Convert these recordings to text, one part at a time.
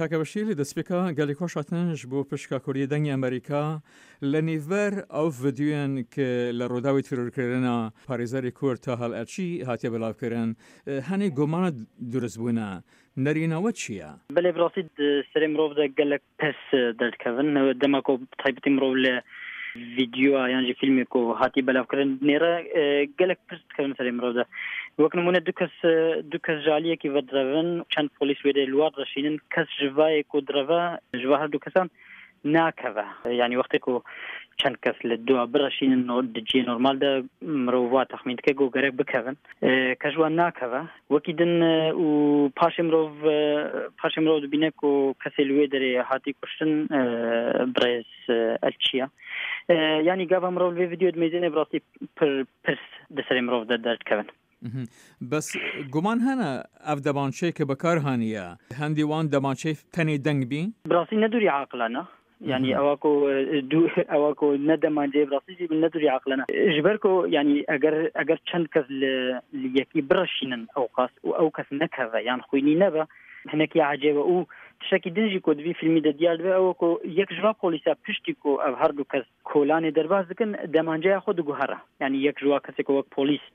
کاکە بەشیر لە دەستپێکا گەلێک خۆش هاتن ژ بۆ پشکا کوردی دەنگی ئەمریکا لە نیڤەر ئەو ڤیدیۆیان ک لە ڕووداوی تیرۆرکردنا پارێزەری کورد تاهەل ئەرچی هاتیە بلاو کرن هەنێ گومانە دروست بوونە نەرینەوە چییە؟ بەلێ بڕاستی سەرێ مرۆڤ دە گەلەک پرس دەردکەڤن دەما کو bi taybetî mirov li vîdyoya yan jî fîlmê ku hatî belavkirin dinêre gelek pirs dikevin serê mirov de. Wek nimûne du kes du kes ji aliyekî ve direvin çend polîs wê dê li wan direşînin kes ji vayê ku direve ji va her du kesan nakeve. Yanî wextê ku çend kes li dua bireşînin di ciyê normal de mirov wa texmîn dike ku gerek bikevin. Kes ji wan nakeve. Wekî din û paşê mirov paşê mirov dibîne ku kesê li wê derê hatî kuştin birêz Elçî ye. Yanî gava mirov li vê vîdyoyê dimeyzîne bi rastî pir pirs di serê mirov de derdikevin. Bes guman hene ev demançeyê ke bikar haniye hendî wan demançeyê tenê deng bî? Bi rastî ne dûrî aqile ne. Yanî ewa ku dû ewa ku ne demanceyê bi rastî jî ne dûrî aqile ne. Ji ber ku yanî eger eger çend kes li li yekî bireşînin ewqas û ew kes nekeve yan xwînî nebe hinekî ecêb e û tiştekî din jî ku di vî fîlmî de diyar dibe ew e ku yek ji van polîsa piştî ku ev her du kes kolanê derbas dikin demanceya xwe diguhere. Yanî yek ji wa kesê ku wek polîs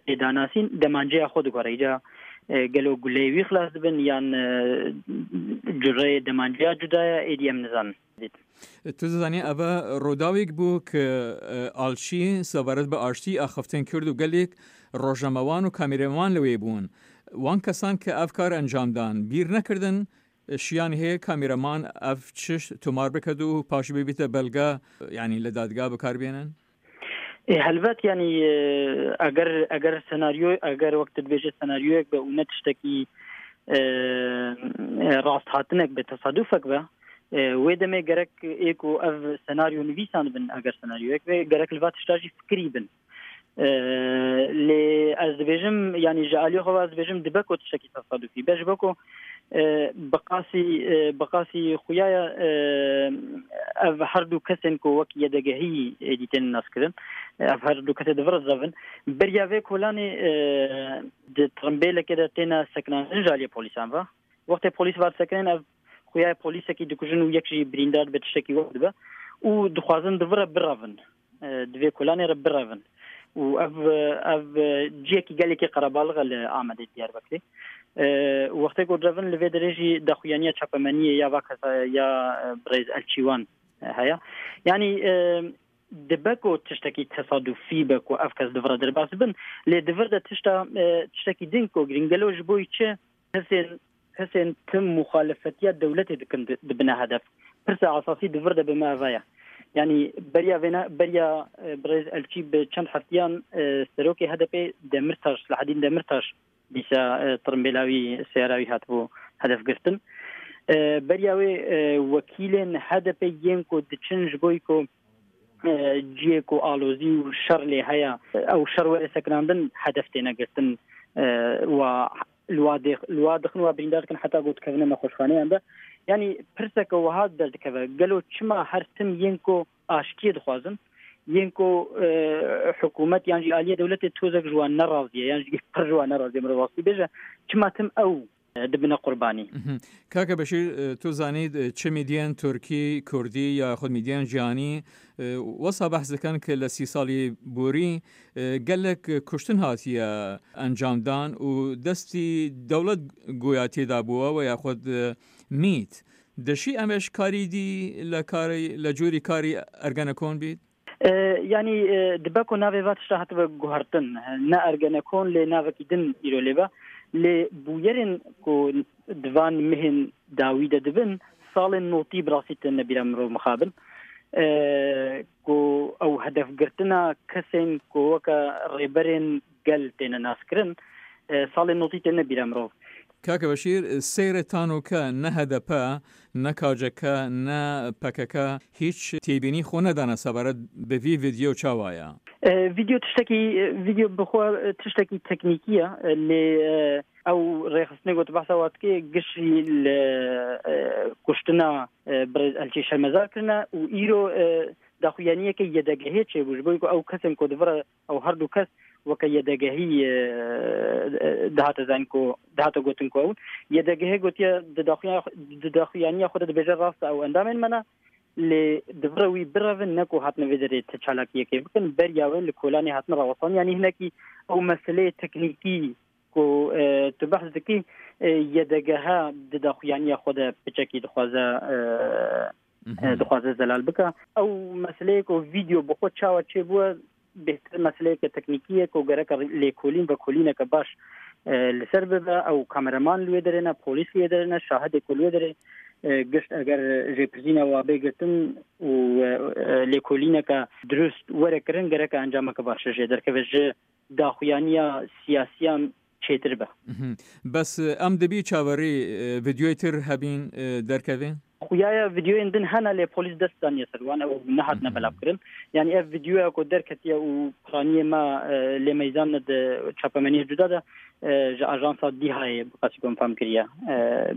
tê danasîn demanceya xwe diguhere. Îca gelo guleyê wî xilas dibin yan cureyê demanceya cuda ye êdî em nizanin. Tu dizanî ev rûdawêk bû ku Alçî sebaret bi aştî axiftin Kurd û gelêk rojnamewan û kamîreman li wê bûn. Wan kesan ku ev kar encam dan bîr nekirdin Şiyan heye kamîreman ev çişt tomar biket û paşî bibîte belge yanî li dadgeha bikar bênin? Ê helbet yanî eger eger senaryo eger wek tu dibêje senaryoyek be û ne tiştekî rasthatinek be tesadufek be wê demê gerek ê ku ev senaryo nivîsandibin eger senaryoyek be gerek li va tişta jî fikirî bin. Lê ez dibêjim yanî ji aliyê xwe ve ez dibêjim dibe ku tiştekî tesadufî be ji bo ku bi qasî bi qasî xuya ye ev her du kesên ku wek yedegehî êdî tên naskirin ev her du kesê di vir dizevin beriya vê kolanê di trimbêlekê de têne sekinandin ji aliyê polîsan ve wextê polîs var disekinin ev xuya ye polîsekî dikujin û yek jî birîndar dibe tiştekî wek dibe û dixwazin di vir re birevin di vê kolanê re birevin û ev ev ciyekî gelekî qerebalix e li Amedê Diyarbekirê. Wextê ku direvin li vê derê jî daxuyaniya çapemeniyê ya va kesa ya birêz Elçîwan heye. Yanî dibe ku tiştekî tesadufî be ku ev kes di vir re derbas dibin lê di vir de tişta tiştekî din ku girîng gelo ji bo çi Kesên kesên tim muxalefetiya dewletê dikin dibine hedef. Pirsa esasî di vir de bi me eve ye. Yanî beriya vêne beriya birêz Elçî bi çend heftiyan Serokê HDP'ê Demirtaş, Selahedîn Demirtaş dîsa tirimbêla wî seyara wî hatibû hedefgirtin. Beriya wê wekîlên HDP'ê yên ku diçin ji bo ku ciyê ku alozî û şer lê heye ew şer were sekinandin hedef têne girtin wa li wa dixin wa birîndar dikin heta ku dikevine nexweşxaneyan de. Yanî pirseke wiha derdikeve gelo çima her tim yên ku aştiyê dixwazin yên ku hikûmet yan jî aliyê dewletê tozek ji wan neraziye yan jî pir ji wan neraziye mirov rastî bêje çima tim ew dibine qurbanî. Kaka Beşîr tu zanî çi mîdyên Tirkî, Kurdî ya xwe mîdyên cîhanî wisa behs dikin ki li sî salî borî gelek kuştin hatiye encamdan û destî dewlet goya têda bûwe we ya xwe mît. Dişî em ê ji karî dî li karî li corî karî Ergenekon bît? Yanî dibe ku navê va tişta hatibe guhertin. Ne Ergenekon lê navekî din îro lê be. Lê bûyerên ku di van mehên dawî de dibin salên notî bi rastî tên nebîra mirov mixabin. Ku ew hedefgirtina kesên ku weke rêberên gel têne naskirin salên notî têne bîra mirov. Kaka Beşîr, seyrê tanoke ne HDP, ne KCK, ne pkk hîç têbînî xwe nedane sebaret bi vî vîdyo çawa ye? Vîdyo tiştekî vîdyo bi xwe tiştekî teknîkî ye lê ew rêxistinê got behsa wa dike gişî li kuştina birêz Elçî şermezar kirine û îro daxuyaniyeke YDGHê çêbû ji bo ku ew kesên ku di vir Ew her du kes وەکە یەدەگەهی دهاتە زانین کو دهاتە گوتن کو ئەو یەدەگەهێ گوتیە di daxuyaniya xwe de dibêje rast e ew endamên me ne lê divre wî birevin ne ku hatine vê derê ti çalakiyekê bikin beriya wê li kolanê hatine rawestan yanî hinekî ew meseleyê teknîkî ku tu behs dikî yedegehe di daxuyaniya xwe de piçekî dixwaze dixwaze zelal bike. Ew meseleyê ku vîdeo bi xwe çawa çêbûye bêhtir meseleyeke teknîkî ye ku gereka lêkolîn vekolîneke baş li ser bibe. Ew kameraman li wê derê ne, polîs li wê derê ne, şahidê ku li wê derê gişt eger jêpirsîna wa bê girtin û lêkolîneke dirust were kirin gereka encameke baş jê derkeve ji daxuyaniya siyasiyan çêtir be. Bes em dibî çaverê vîdeoyê tir hebîn derkevê? Xuya ye vîdeoyên din hene lê polîs dest daniye ser wan ew nehatine belavkirin. Yanî ev vîdeoya ku derketiye û piraniyê me lê meyzan ne di çapemeniyê cuda de ji ajansa DİHAyê bi qasî ku em fam kiriye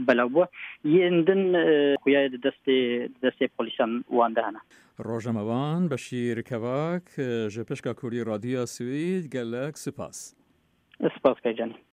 belav bûye. Yên din xuya ye di destê di destê polîsan wan de hene. Rojnamevan Beşîr Kevak ji Pişka Kurdî Radyoya Swêd gelek sipas. Spas Kaycanî.